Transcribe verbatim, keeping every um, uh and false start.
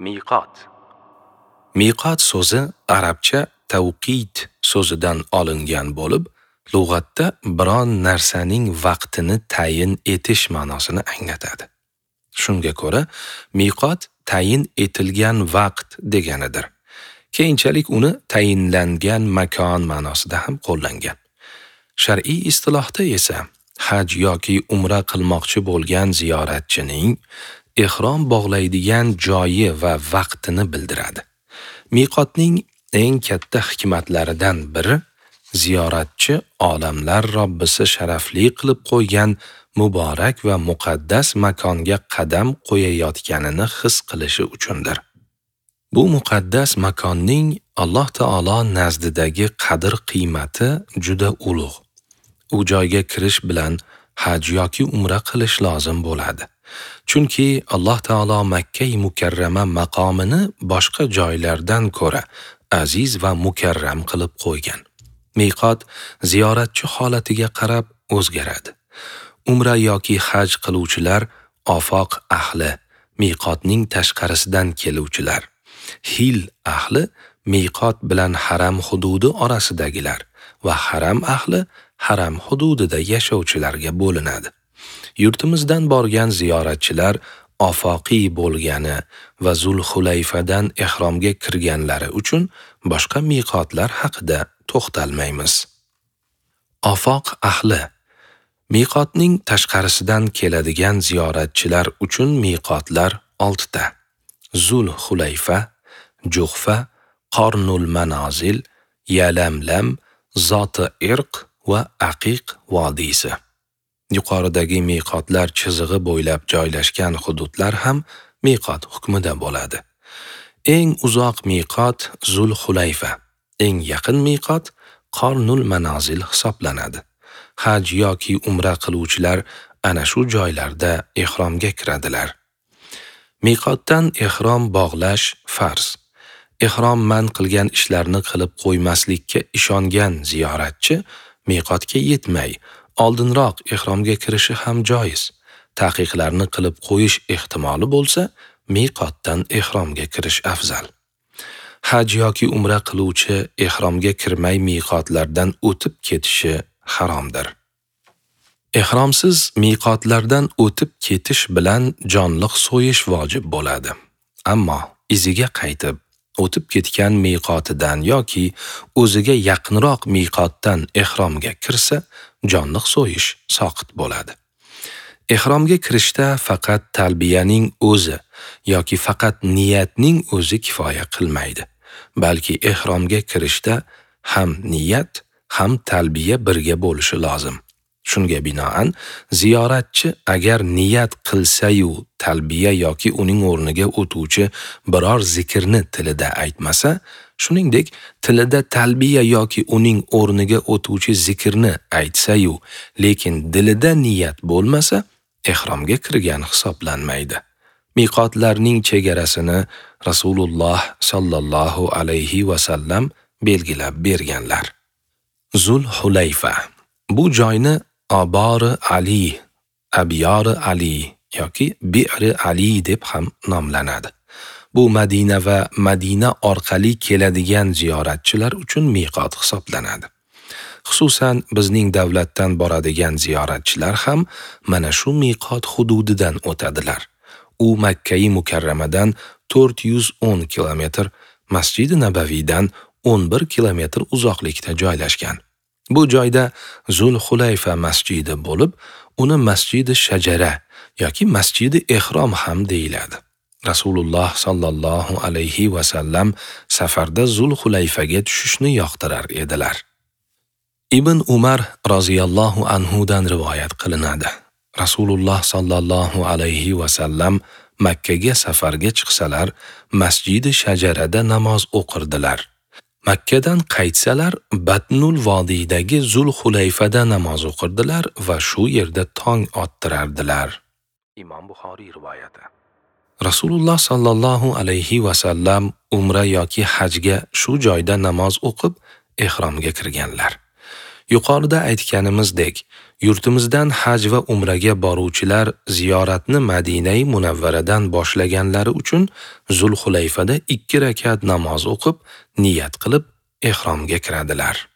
Miqot. Miqot so'zi arabcha tavqit so'zidan olingan bo'lib, lug'atda biron narsaning vaqtini tayin etish ma'nosini anglatadi. Shunga ko'ra, miqot tayin etilgan vaqt deganidir. Keyinchalik uni tayinlangan makon ma'nosida ham qo'llangan. Shar'iy istilohda esa haj yoki umra qilmoqchi bo'lgan ziyoratchining ihrom bog'laydigan joyi va vaqtini bildiradi. Miqotning eng katta hikmatlaridan biri ziyoratchi olamlar Robbisi sharafli qilib qo'ygan muborak va muqaddas makonga qadam qo'yayotganini his qilishi uchundir. Bu muqaddas makonning Alloh taolo nazdidagi qadr-qiymati juda ulug'. U joyga kirish bilan haj yoki umra qilish lozim bo'ladi. Chunki Alloh taolo Makka mukarrama maqomini boshqa joylardan ko'ra aziz va mukarram qilib qo'ygan. Miqot ziyoratchi holatiga qarab o'zgaradi. Umra yoki haj qiluvchilar ofoq ahli, miqotning tashqarisidan keluvchilar, hil ahli miqot bilan haram hududi orasidagilar va haram ahli haram hududida yashovchilarga bo'linadi. Yurtimizdan borgan ziyoratchilar ofoqiy bo'lgani va Zulhulayfadan ihromga kirganlari uchun boshqa miqotlar haqida to'xtalmaymiz. Ofoq ahli miqotning tashqarisidan keladigan ziyoratchilar uchun miqotlar oltita: Zulhulayfa, Juhfa, Qornul Manozil, Yalamlam, Zoti Irq va Aqiq vodiysi. Yuqoridagi miqotlar chizig'i bo'ylab joylashgan hududlar ham miqot hukmida bo'ladi. Eng uzoq miqot Zulhulayfa, eng yaqin miqot Qornul Manozil hisoblanadi. Haj yoki umra qiluvchilar ana shu joylarda ihromga kiradilar. Miqotdan ihrom bog'lash farz. Ihrom man qilgan ishlarni qilib qo'ymaslikka ishongan ziyoratchi miqotga yetmay, oldinroq ihromga kirishi ham joiz. Taqiqlarni qilib qo'yish ehtimoli bo'lsa, miqotdan ihromga kirish afzal. Haj yoki umra qiluvchi ihromga kirmay miqotlardan o'tib ketishi haromdir. Ihromsiz miqotlardan o'tib ketish bilan jonliq so'yish vojib bo'ladi. Ammo iziga qaytib o'tib ketgan miqotidan yoki o'ziga yaqinroq miqotdan ihromga kirsa, jonliq so'yish soqit bo'ladi. Ihromga kirishda faqat talbiyaning o'zi yoki faqat niyatning o'zi kifoya qilmaydi, balki ihromga kirishda ham niyat, ham talbiya birga bo'lishi lozim. Shunga binoan, ziyoratchi agar niyat qilsa-yu talbiya yoki uning o'rniga o'tuvchi biror zikrni tilida aytmasa, shuningdek tilida talbiya yoki uning o'rniga o'tuvchi zikrni aytsa-yu, lekin dilida niyat bo'lmasa, ihromga kirgan hisoblanmaydi. Miqotlarning chegarasini Rasululloh sallallohu alayhi va sallam belgilab berganlar. Zulhulayfa. Bu joyni Abori Ali, Abyori Ali yoki Bi'ri Ali deb ham nomlanadi. Bu Madina va Madina orqali keladigan ziyoratchilar uchun miqot hisoblanadi. Xususan bizning davlatdan boradigan ziyoratchilar ham mana shu miqot hududidan o'tadilar. U Makka-i Mukarramadan to'rt yuz o'n kilometr, Masjidi Nabaviydan o'n bir kilometr uzoqlikda joylashgan. Bu joyda Zulhulayfa masjidi bo'lib, uni Masjidi Shajara yoki Masjidi Ihrom ham deyiladi. Rasululloh sallallohu alayhi va sallam safarda Zulhulayfaga tushishni yoqtirar edilar. Ibn Umar roziyallohu anhu dan rivoyat qilinadi. Rasululloh sallallohu alayhi va sallam Makkaga safarga chiqsalar, Masjidi Shajarada namoz o'qirdilar. Makkadan qaytsalar, Batnul vodiydagi Zulhulayfada namoz o'qirdilar va shu yerda tong ottirardilar. Imom Buxoriy rivoyati. Rasululloh sallallohu alayhi va sallam umra yoki hajga shu joyda namoz o'qib ihromga kirganlar. Yuqorida aytganimizdek, yurtimizdan haj va umraga boruvchilar ziyoratni Madinai Munavvaradan boshlaganlari uchun Zulhulayfada ikki rakat namoz o'qib, niyat qilib ehromga kiradilar.